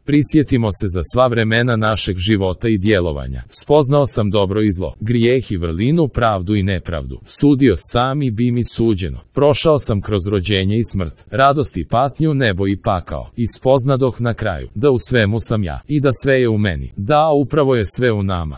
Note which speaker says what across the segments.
Speaker 1: Prisjetimo se za sva vremena našeg života i djelovanja. Spoznao sam dobro i zlo, grijeh i vrlinu, pravdu i nepravdu. Sudio sam i bi mi suđeno. Prošao sam kroz rođenje i smrt, radost i patnju, nebo i pakao. I spoznadoh na kraju, da u svemu sam ja, i da sve je u meni. Da, upravo je sve u nama.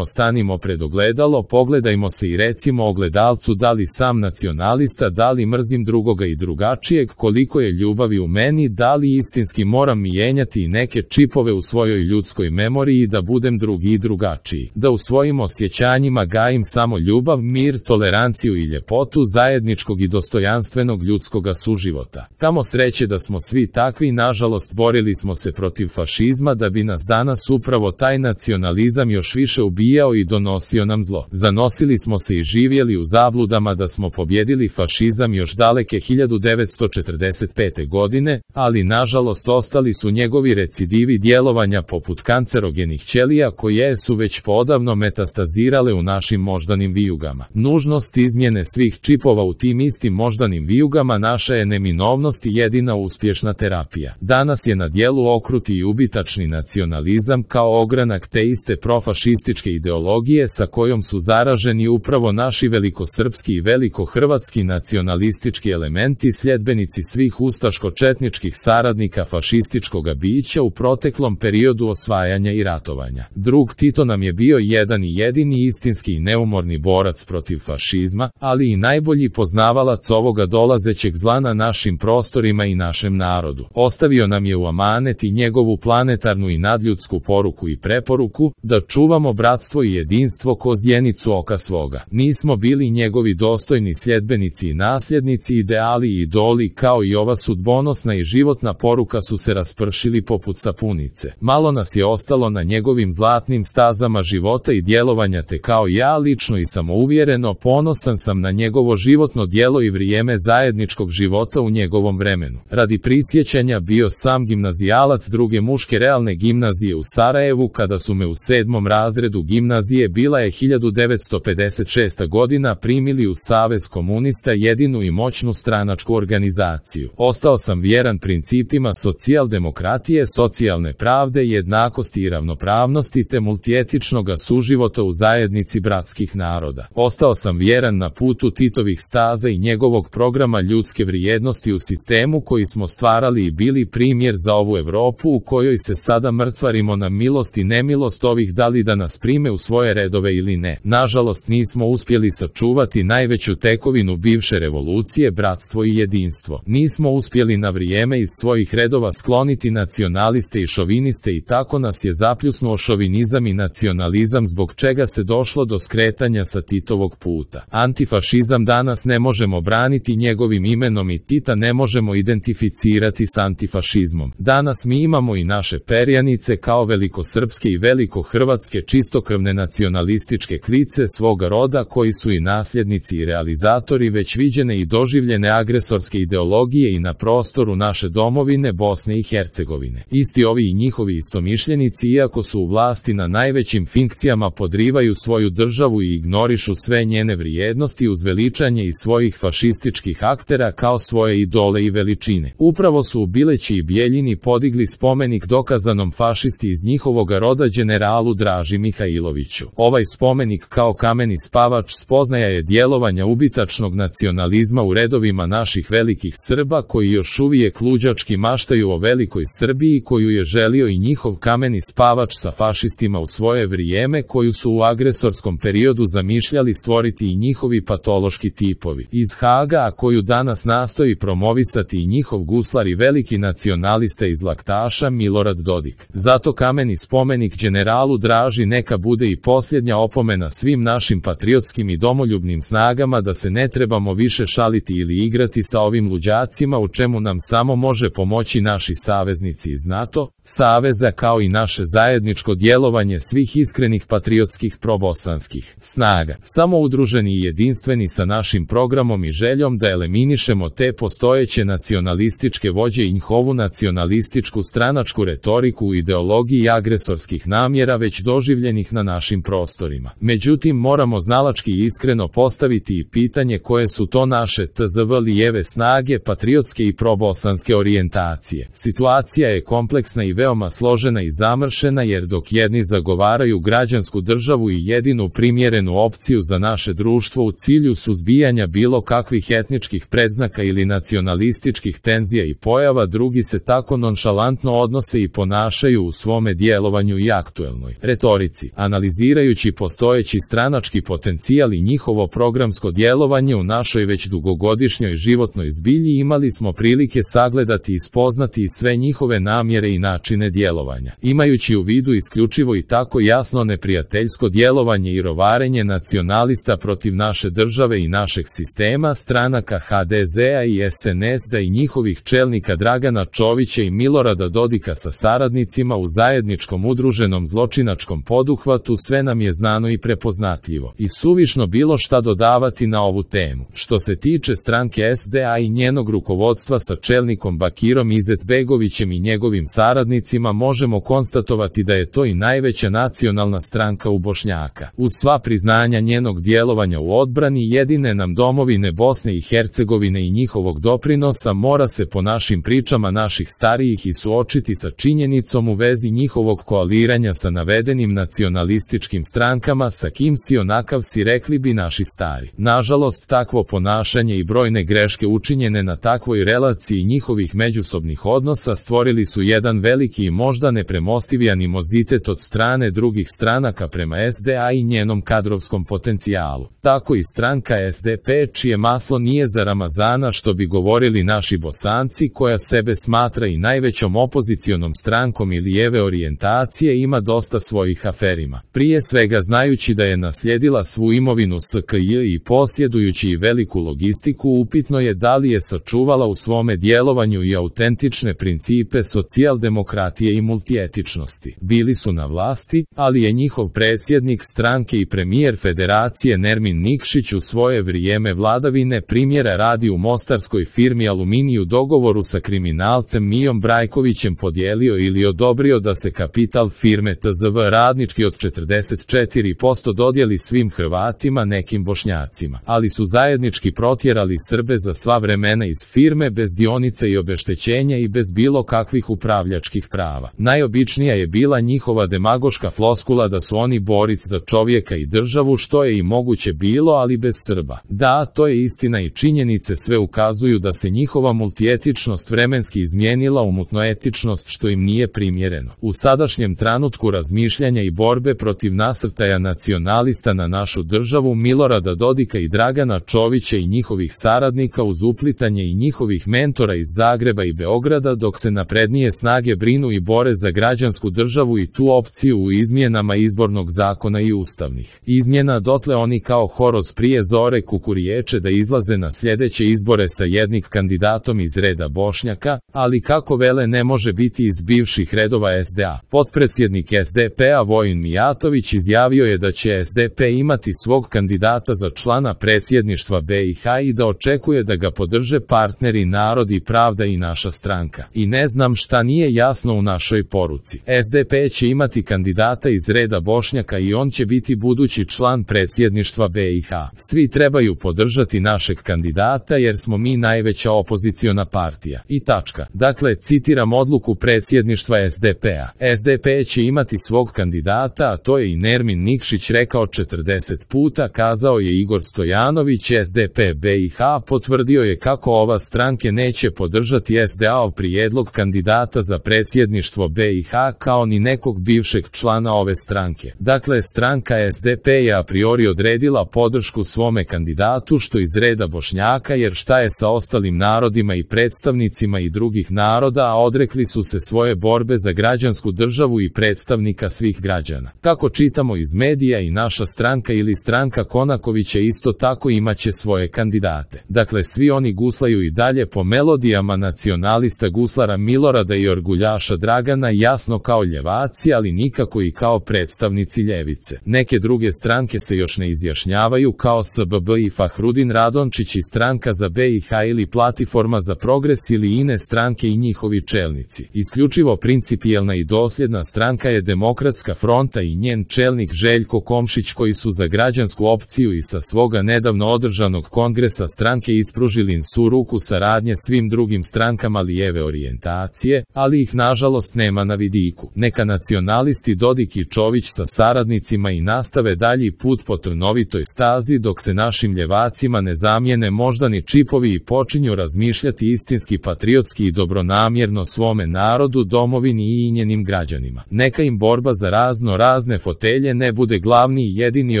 Speaker 1: Stanimo pred ogledalo, pogledajmo se i recimo ogledalcu da li sam nacionalista, da li mrzim drugoga i drugačijeg, koliko je ljubavi u meni, da li istinski moram mijenjati neke čipove u svojoj ljudskoj memoriji da budem drugi i drugačiji. Da u svojim osjećanjima gajim samo ljubav, mir, toleranciju i ljepotu zajedničkog i dostojanstvenog ljudskoga suživota. Kamo sreće da smo svi takvi, nažalost borili smo se protiv fašizma da bi nas danas upravo taj nacionalizam još više ubijao i donosio nam zlo. Zanosili smo se i živjeli u zabludama da smo pobjedili fašizam još daleke 1945. godine, ali nažalost ostali su njegovi recidivi djelovanja poput kancerogenih ćelija koje su već poodavno metastazirale u našim moždanim vijugama. Nužnost izmjene svih čipova u tim istim moždanim vijugama naša je neminovnost i jedina uspješna terapija. Danas je na dijelu okruti i ubitačni nacionalizam kao ogranak te iste profašističke ideologije sa kojom su zaraženi upravo naši velikosrpski i velikohrvatski nacionalistički elementi, sljedbenici svih ustaško-četničkih saradnika fašističkoga bića u proteklom periodu osvajanja i ratovanja. Drug Tito nam je bio jedan i jedini istinski i neumorni borac protiv fašizma, ali i najbolji poznavalac ovoga dolazećeg zla na našim prostorima i našem narodu. Ostavio nam je u amanet i njegovu planetarnu i nadljudsku poruku i preporuku da čuvamo bratstvo i jedinstvo ko zjenicu oka svoga. Nismo bili njegovi dostojni sljedbenici i nasljednici, ideali i idoli kao i ova sudbonosna i životna poruka su se raspršili poput sapunice. Malo nas je ostalo na njegovim zlatnim stazama života i djelovanja, te kao ja lično i samouvjereno ponosan sam na njegovo životno djelo i vrijeme zajedničkog života u njegovom vremenu. Radi prisjećanja bio sam gimnazijalac druge muške realne gimnazije u Sarajevu kada su me u 7. razredu gimnazije, bila je 1956. godina, primili u Savez komunista, jedinu i moćnu stranačku organizaciju. Ostao sam vjeran principima socijaldemokratije, socijalne pravde, jednakosti i ravnopravnosti te multietičnoga suživota u zajednici bratskih naroda. Ostao sam vjeran na putu Titovih staza i njegovog programa ljudske vrijednosti u sistemu koji smo stvarali i bili primjer za ovu Europu u kojoj se sada mrcvarimo na milost i nemilost ovih da li da nas prime u svoje redove ili ne. Nažalost nismo uspjeli sačuvati najveću tekovinu bivše revolucije, bratstvo i jedinstvo. Nismo uspjeli na vrijeme iz svojih redova skloniti nacionaliste i šoviniste i tako nas je zapljusnuo šovinizam i nacionalizam zbog čega se došlo do skretanja sa Titovog puta. Antifašizam danas ne možemo braniti njegovim imenom i Tita ne možemo identificirati s antifašizmom. Danas mi imamo i naše perjanice kao velikosrpske i velikohrvatske čistokrvne nacionalističke klice svoga roda koji su i nasljednici i realizatori već viđene i doživljene agresorske ideologije i na prostoru naše domovine Bosne i Hercegovine. Isti ovi i njihovi istomišljenici, iako su u vlasti na najvećim funkcijama, podrivaju svoju državu i ignorišu sve njene vrijednosti uz veličanje i svojih fašističkih aktera kao svoje idole i veličine. Upravo su u Bileći i Bijeljini podigli spomenik dokazanom fašisti iz njihovoga roda generalu Draži Mihajloviću. Ovaj spomenik kao kameni spavač spoznaja je djelovanja ubitačnog nacionalizma u redovima naših velikih Srba koji još uvijek luđački maštaju o velikoj Srbiji koju je želio i njihov kameni spavač sa fašistima u svoje vrijeme, koju su u agresorskom periodu zamišljali stvoriti i njihovi patološki tipovi iz Haga, a koju danas nastoji promovisati i njihov guslar i veliki nacionalista iz Laktaša Milorad Dodik. Zato kameni spomenik generalu Draži neka bude i posljednja opomena svim našim patriotskim i domoljubnim snagama da se ne trebamo više šaliti ili igrati sa ovim luđacima, u čemu nam samo može pomoći naši saveznici iz NATO saveza kao i naše zajedničko djelovanje svih iskrenih patriotskih probosanskih snaga. Samo udruženi i jedinstveni sa našim programom i željom da eliminišemo te postojeće nacionalističke vođe i njihovu nacionalističku stranačku retoriku u ideologiji agresorskih namjera već doživljenih na našim prostorima. Međutim, moramo znalački i iskreno postaviti i pitanje koje su to naše tzv. lijeve snage patriotske i probosanske orijentacije. Situacija je kompleksna kompleksna i veoma složena i zamršena, jer dok jedni zagovaraju građansku državu i jedinu primjerenu opciju za naše društvo u cilju suzbijanja bilo kakvih etničkih predznaka ili nacionalističkih tenzija i pojava, drugi se tako nonšalantno odnose i ponašaju u svome djelovanju i aktuelnoj retorici. Analizirajući postojeći stranački potencijal i njihovo programsko djelovanje u našoj već dugogodišnjoj životnoj zbilji, imali smo prilike sagledati i spoznati i sve njihove namjere i načine djelovanja. Imajući u vidu isključivo i tako jasno neprijateljsko djelovanje i rovarenje nacionalista protiv naše države i našeg sistema, stranaka HDZ-a i SNSD-a i njihovih čelnika Dragana Čovića i Milorada Dodika sa saradnicima u zajedničkom udruženom zločinačkom poduhvatu, sve nam je znano i prepoznatljivo. I suvišno bilo šta dodavati na ovu temu. Što se tiče stranke SDA i njenog rukovodstva sa čelnikom Bakirom Izetbegovićem i njegovim saradnicima, možemo konstatovati da je to i najveća nacionalna stranka u Bošnjaka. Uz sva priznanja njenog djelovanja u odbrani jedine nam domovine Bosne i Hercegovine i njihovog doprinosa, mora se po našim pričama naših starijih i suočiti sa činjenicom u vezi njihovog koaliranja sa navedenim nacionalističkim strankama, sa kim si onakav si, rekli bi naši stari. Nažalost, takvo ponašanje i brojne greške učinjene na takvoj relaciji njihovih međusobnih odnosa stvorili su jedan veliki i možda nepremostivi animozitet od strane drugih stranaka prema SDA i njenom kadrovskom potencijalu. Tako i stranka SDP, čije maslo nije za Ramazana, što bi govorili naši Bosanci, koja sebe smatra i najvećom opozicionom strankom i lijeve orijentacije, ima dosta svojih aferima. Prije svega, znajući da je naslijedila svu imovinu SKJ i posjedujući i veliku logistiku, upitno je da li je sačuvala u svome djelovanju i autentične principe socijaldemokratije i multietičnosti. Bili su na vlasti, ali je njihov predsjednik stranke i premijer federacije Nermin Nikšić u svoje vrijeme vladavine, primjera radi, u mostarskoj firmi Aluminiju dogovoru sa kriminalcem Mijom Brajkovićem podijelio ili odobrio da se kapital firme TZV Radnički od 44% dodijeli svim Hrvatima, nekim Bošnjacima, ali su zajednički protjerali Srbe za sva vremena iz firme bez dionica i obeštećenja i bez bilo kakvih upravljačkih prava. Najobičnija je bila njihova demagoška floskula da su oni boric za čovjeka i državu, što je i moguće bilo, ali bez Srba. Da, to je istina i činjenice sve ukazuju da se njihova multietičnost vremenski izmijenila u mutnoetičnost, što im nije primjereno. U sadašnjem trenutku razmišljanja i borbe protiv nasrtaja nacionalista na našu državu Milorada Dodika i Dragana Čovića i njihovih saradnika uz uplitanje i njihovih mentora iz Zagreba i Beograda, dok se naprednije snage brinu i bore za građansku državu i tu opciju u izmjenama izbornog zakona i ustavnih izmjena, dotle oni kao horoz prije zore kukuriječe da izlaze na sljedeće izbore sa jednim kandidatom iz reda Bošnjaka, ali kako vele ne može biti iz bivših redova SDA. Potpredsjednik SDP-a Vojin Mijatović izjavio je da će SDP imati svog kandidata za člana predsjedništva BiH i da očekuje da ga podrže partneri Narod i Pravda i naša stranka. I ne znam šta nije jasno u našoj poruci. SDP će imati kandidata iz reda Bošnjaka i on će biti budući član predsjedništva BiH. Svi trebaju podržati našeg kandidata jer smo mi najveća opoziciona partija. I tačka. Dakle, citiram odluku predsjedništva SDP-a. SDP će imati svog kandidata, a to je i Nermin Nikšić rekao 40 puta, kazao je Igor Stojanović. SDP BiH potvrdio je kako ova stranke neće podržati SDA-ov prijedlog kandidata za predsjedništvo BiH, kao ni nekog bivšeg člana ove stranke. Dakle, stranka SDP je a priori odredila podršku svome kandidatu, što iz reda Bošnjaka, jer šta je sa ostalim narodima i predstavnicima i drugih naroda, a odrekli su se svoje borbe za građansku državu i predstavnika svih građana. Kako čitamo iz medija, i naša stranka ili stranka Konakovića isto tako imaće svoje kandidate. Dakle, svi oni guslaju i dalje po melodijama nacionalista guslara Milorada i orguljaša Dragana, jasno kao ljevaci, ali nikako i kao predstavnici ljevice. Neke druge stranke se još ne izjašnjavaju, kao SBB i Fahrudin Radončić i stranka za BiH ili Platiforma za progres ili ine stranke i njihovi čelnici. Isključivo principijelna i dosljedna stranka je Demokratska fronta i njen čelnik Željko Komšić, koji su za građansku opciju i sa svoga nedavno održanog kongresa stranke ispružili su ruku saradnje svim drugim strankama lijeve orijentacije, ali ih nažalost nema na vidiku. Neka nacionalisti Dodik i Čović sa saradnicima i nastave dalji put po trnovitoj stazi dok se našim ljevacima ne zamijene moždani čipovi i počinju razmišljati istinski patriotski i dobronamjerno svome narodu, domovini i njenim građanima. Neka im borba za razne fotelje ne bude glavni i jedini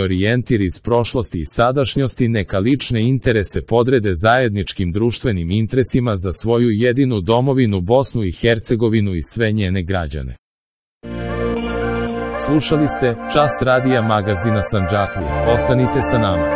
Speaker 1: orijentir iz prošlosti i sadašnjosti, neka lične interese podrede zajedničkim društvenim interesima za svoju jedinu domovinu Bosnu i Hercegovinu i sve njene građane. Slušali ste Čas radija magazina Sandžaklija. Ostanite sa nama.